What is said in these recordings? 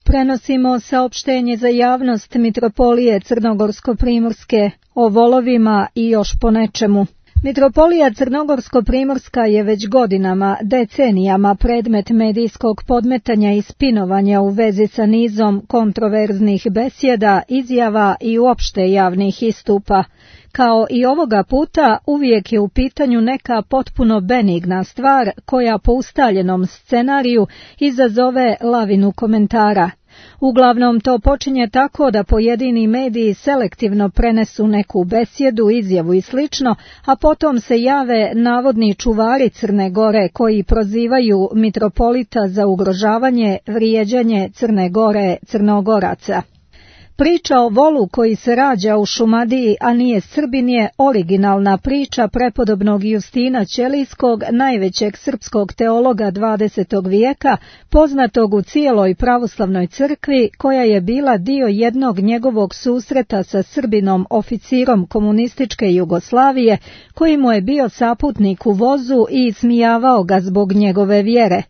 Prenosimo saopštenje za javnost Mitropolije Crnogorsko-Primorske o volovima i još po nečemu. Mitropolija Crnogorsko-Primorska je već godinama, decenijama predmet medijskog podmetanja i spinovanja u vezi sa nizom kontroverznih besjeda, izjava i uopšte javnih istupa. Kao i ovoga puta, uvijek je u pitanju neka potpuno benigna stvar koja po ustaljenom scenariju izazove lavinu komentara. Uglavnom to počinje tako da pojedini mediji selektivno prenesu neku besjedu, izjavu i slično, a potom se jave navodni čuvari Crne Gore koji prozivaju mitropolita za ugrožavanje, vrijeđanje Crne Gore, Crnogoraca. Priča o volu koji se rađa u Šumadiji, a nije Srbin, je originalna priča prepodobnog Justina Ćelijskog, najvećeg srpskog teologa 20. vijeka, poznatog u cijeloj pravoslavnoj crkvi, koja je bila dio jednog njegovog susreta sa Srbinom, oficirom komunističke Jugoslavije, koji mu je bio saputnik u vozu i ismijavao ga zbog njegove vjere.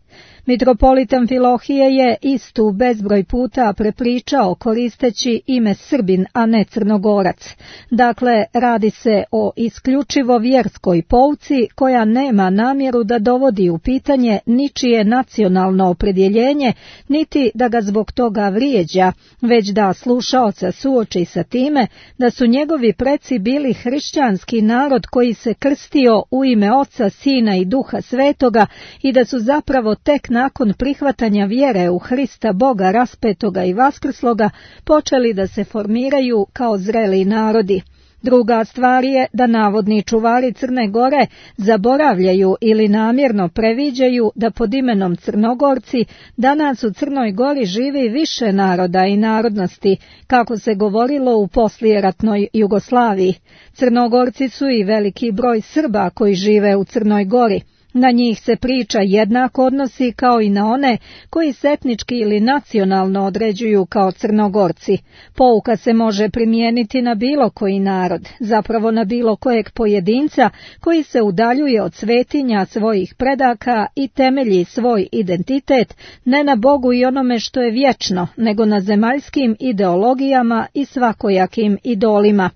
Mitropolit Amfilohije je istu bezbroj puta prepričao koristeći ime Srbin, a ne Crnogorac. Dakle, radi se o isključivo vjerskoj pouci koja nema namjeru da dovodi u pitanje ničije nacionalno opredjeljenje, niti da ga zbog toga vrijeđa, već da slušaoca suoči sa time da su njegovi preci bili hrišćanski narod koji se krstio u ime Oca, Sina i Duha Svetoga i da su zapravo tek nakon prihvatanja vjere u Hrista Boga raspetoga i vaskrsloga počeli da se formiraju kao zreli narodi. Druga stvar je da navodni čuvari Crne Gore zaboravljaju ili namjerno previđaju da pod imenom Crnogorci danas u Crnoj Gori živi više naroda i narodnosti, kako se govorilo u poslijeratnoj Jugoslaviji. Crnogorci su i veliki broj Srba koji žive u Crnoj Gori. Na njih se priča jednako odnosi kao i na one koji se etnički ili nacionalno određuju kao Crnogorci. Pouka se može primijeniti na bilo koji narod, zapravo na bilo kojeg pojedinca koji se udaljuje od svetinja svojih predaka i temelji svoj identitet ne na Bogu i onome što je vječno, nego na zemaljskim ideologijama i svakojakim idolima.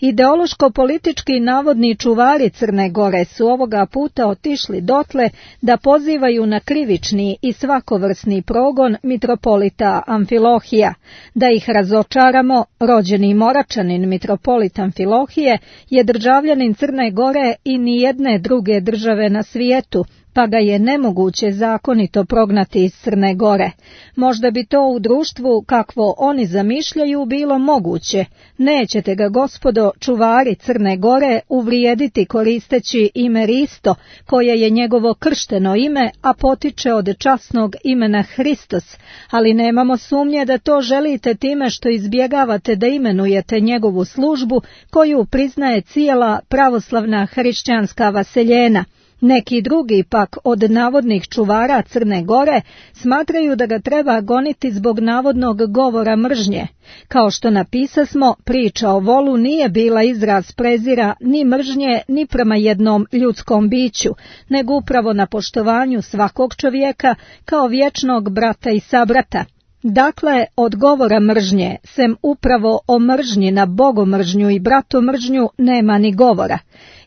Ideološko-politički navodni čuvari Crne Gore su ovoga puta otišli dotle da pozivaju na krivični i svakovrsni progon mitropolita Amfilohija. Da ih razočaramo, rođeni Moračanin mitropolit Amfilohije je državljanin Crne Gore i nijedne druge države na svijetu, pa ga je nemoguće zakonito prognati iz Crne Gore. Možda bi to u društvu, kakvo oni zamišljaju, bilo moguće. Nećete ga, gospodo, čuvari Crne Gore, uvrijediti koristeći ime Risto, koje je njegovo kršteno ime, a potiče od časnog imena Hristos, ali nemamo sumnje da to želite time što izbjegavate da imenujete njegovu službu, koju priznaje cijela pravoslavna hrišćanska vaseljena. Neki drugi pak od navodnih čuvara Crne Gore smatraju da ga treba goniti zbog navodnog govora mržnje. Kao što napisasmo, priča o volu nije bila izraz prezira ni mržnje ni prema jednom ljudskom biću, nego upravo na poštovanju svakog čovjeka kao vječnog brata i sabrata. Dakle, od govora mržnje, sem upravo o mržnji na bogomržnju i bratomržnju, nema ni govora.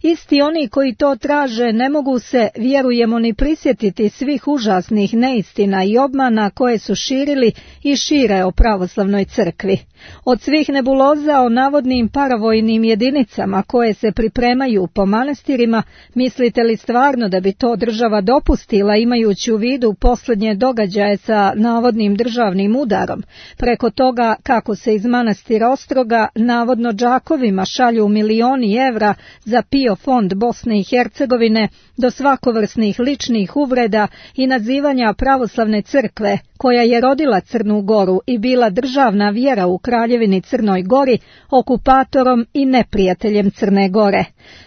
Isti oni koji to traže ne mogu se, vjerujemo, ni prisjetiti svih užasnih neistina i obmana koje su širili i šire o pravoslavnoj crkvi. Od svih nebuloza o navodnim paravojnim jedinicama koje se pripremaju po manastirima, mislite li stvarno da bi to država dopustila imajući u vidu posljednje događaje sa navodnim državnim udarom? Preko toga kako se iz manastira Ostroga navodno džakovima šalju milioni evra za PIO fond Bosne i Hercegovine, do svakovrsnih ličnih uvreda i nazivanja pravoslavne crkve, koja je rodila Crnu Goru i bila državna vjera u Kraljevini Crnoj Gori, okupatorom i neprijateljem Crne Gore.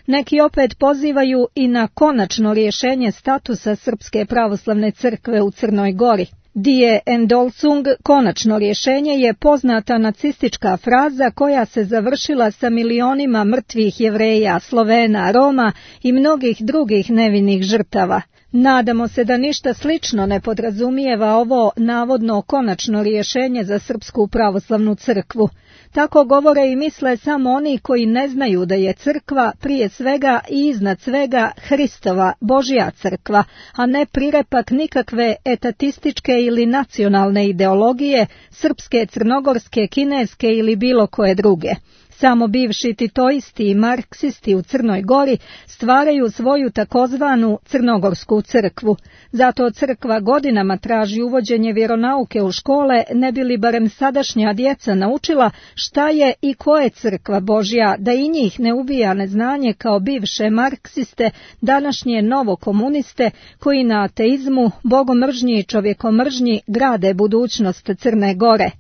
Neki opet pozivaju i na konačno rješenje statusa Srpske pravoslavne crkve u Crnoj Gori. Die Endolsung, konačno rješenje, je poznata nacistička fraza koja se završila sa milionima mrtvih Jevreja, Slovena, Roma i mnogih drugih nevinih žrtava. Nadamo se da ništa slično ne podrazumijeva ovo navodno konačno rješenje za Srpsku pravoslavnu crkvu. Tako govore i misle samo oni koji ne znaju da je crkva prije svega i iznad svega Hristova, Božja crkva, a ne prirepak nikakve etatističke ili nacionalne ideologije, srpske, crnogorske, kineske ili bilo koje druge. Samo bivši titoisti i marksisti u Crnoj Gori stvaraju svoju takozvanu crnogorsku crkvu. Zato crkva godinama traži uvođenje vjeronauke u škole, ne bi li barem sadašnja djeca naučila šta je i ko je crkva Božja, da i njih ne ubija neznanje kao bivše marksiste, današnje novokomuniste koji na ateizmu, bogomržnji i čovjekomržnji grade budućnost Crne Gore.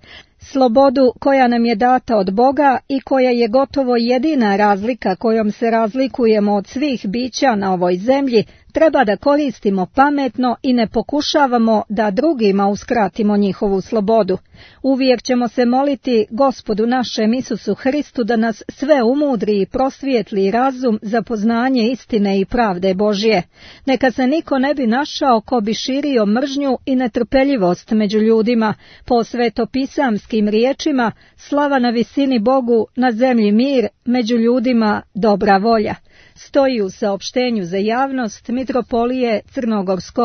Slobodu koja nam je data od Boga i koja je gotovo jedina razlika kojom se razlikujemo od svih bića na ovoj zemlji, treba da koristimo pametno i ne pokušavamo da drugima uskratimo njihovu slobodu. Uvijek ćemo se moliti Gospodu našem Isusu Hristu da nas sve umudri i prosvijetli razum za poznanje istine i pravde Božje. Neka se niko ne bi našao ko bi širio mržnju i netrpeljivost među ljudima, po svetopisamskim riječima, slava na visini Bogu, na zemlji mir, među ljudima dobra volja. Stoji u saopštenju za javnost Mitropolije Crnogorsko